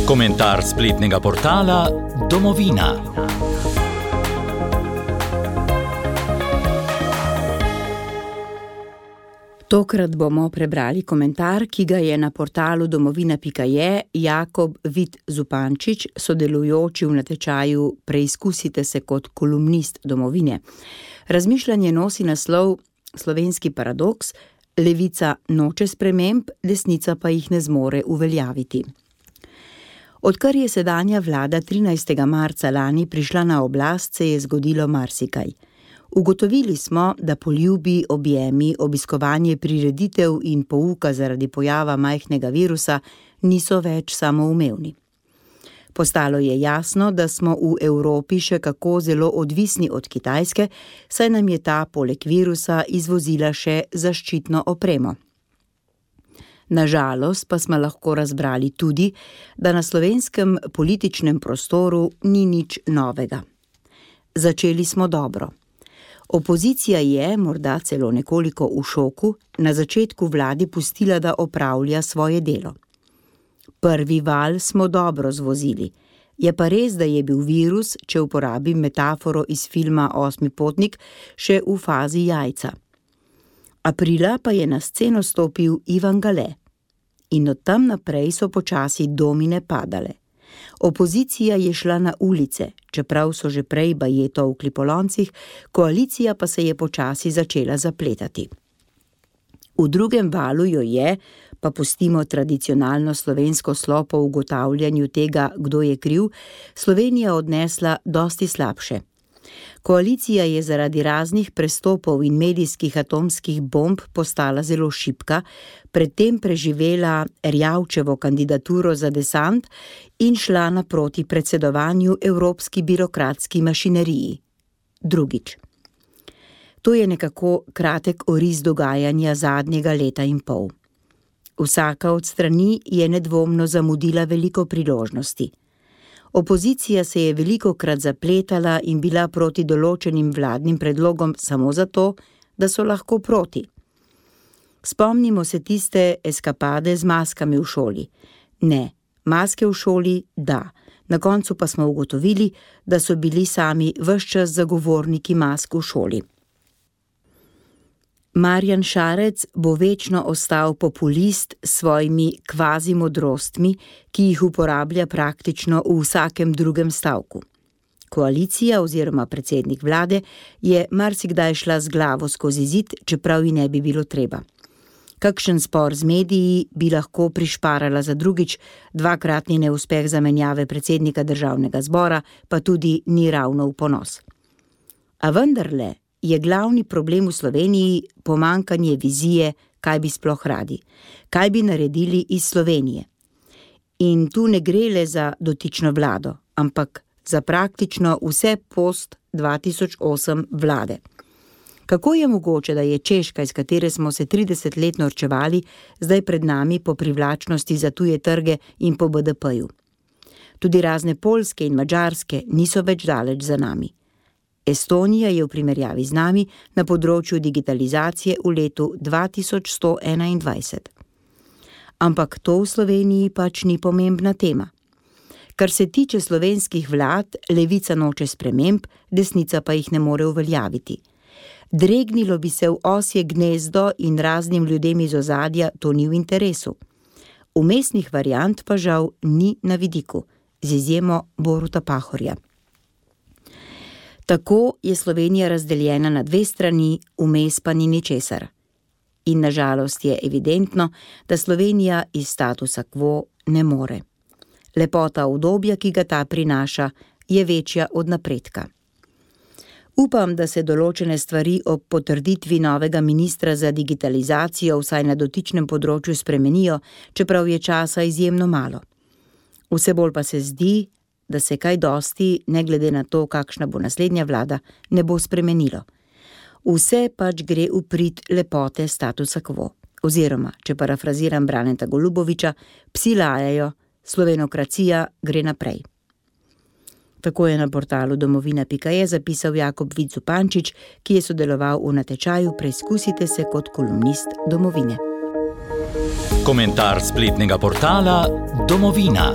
Komentar spletnega portala Domovina. Tokrat bomo prebrali komentar, ki ga je na portalu domovina.je Jakob Vid Zupančič, sodelujoči v natečaju Preizkusite se kot kolumnist Domovine. Razmišljanje nosi naslov Slovenski paradoks: levica noče sprememb, desnica pa jih ne zmore uveljaviti. Odkar je sedanja vlada 13. marca lani prišla na oblast, se je zgodilo marsikaj. Ugotovili smo, da poljubi, objemi, obiskovanje prireditev in pouka zaradi pojava majhnega virusa niso več samoumevni. Postalo je jasno, da smo v Evropi še kako zelo odvisni od Kitajske, saj nam je ta poleg virusa izvozila še zaščitno opremo. Nažalost pa smo lahko razbrali tudi, da na slovenskem političnem prostoru ni nič novega. Začeli smo dobro. Opozicija je, morda celo nekoliko v šoku, na začetku vladi pustila, da opravlja svoje delo. Prvi val smo dobro zvozili. Je pa res, da je bil virus, če uporabim metaforo iz filma Osmi potnik, še v fazi jajca. Aprila pa je na sceno stopil Ivan Gale. In od tam naprej so počasi domine padale. Opozicija je šla na ulice, čeprav so že prej bajeto v klipoloncih, koalicija pa se je počasi začela zapletati. V drugem valu jo je, pa pustimo tradicionalno slovensko slo po ugotavljanju tega, kdo je kriv, Slovenija odnesla dosti slabše. Koalicija je zaradi raznih prestopov in medijskih atomskih bomb postala zelo šibka, predtem preživela Erjavčevo kandidaturo za desant in šla naproti predsedovanju evropski birokratski mašineriji. Drugič. To je nekako kratek oris dogajanja zadnjega leta in pol. Vsaka od strani je nedvomno zamudila veliko priložnosti. Opozicija se je velikokrat zapletala in bila proti določenim vladnim predlogom samo zato, da so lahko proti. Spomnimo se tiste eskapade z maskami v šoli. Ne, maske v šoli, da. Na koncu pa smo ugotovili, da so bili sami ves čas zagovorniki mask v šoli. Marjan Šarec bo večno ostal populist s svojimi kvazi modrostmi, ki jih uporablja praktično v vsakem drugem stavku. Koalicija oziroma predsednik vlade je marsikdaj šla z glavo skozi zid, čeprav ji ne bi bilo treba. Kakšen spor z mediji bi lahko prišparala za drugič, dvakratni neuspeh zamenjave predsednika državnega zbora pa tudi ni ravno v ponos. A vendarle je glavni problem v Sloveniji pomanjkanje vizije, kaj bi sploh radi, kaj bi naredili iz Slovenije. In tu ne gre le za dotično vlado, ampak za praktično vse post 2008 vlade. Kako je mogoče, da je Češka, iz katere smo se 30 let norčevali, zdaj pred nami po privlačnosti za tuje trge in po BDP-ju? Tudi razne Poljske in Madžarske niso več daleč za nami. Estonija je v primerjavi z nami na področju digitalizacije v letu 2121. Ampak to v Sloveniji pač ni pomembna tema. Kar se tiče slovenskih vlad, levica noče sprememb, desnica pa jih ne more uveljaviti. Dregnilo bi se v osje gnezdo in raznim ljudem iz ozadja to ni v interesu. Vmesnih variant pa žal ni na vidiku, z izjemo Boruta Pahorja. Tako je Slovenija razdeljena na dve strani, vmes pa ni ničesar. In na žalost je evidentno, da Slovenija iz statusa quo ne more. Lepota udobja, ki ga ta prinaša, je večja od napredka. Upam, da se določene stvari ob potrditvi novega ministra za digitalizacijo vsaj na dotičnem področju spremenijo, čeprav je časa izjemno malo. Vse bolj pa se zdi, da se kaj dosti, ne glede na to, kakšna bo naslednja vlada, ne bo spremenilo. Vse pač gre v prid lepote statusa quo. Oziroma, če parafraziram Braneta Goluboviča, psi lajajo, slovenokracija gre naprej. Tako je na portalu domovina.je zapisal Jakob Vid Zupančič, ki je sodeloval v natečaju Preizkusite se kot kolumnist Domovine. Komentar spletnega portala Domovina.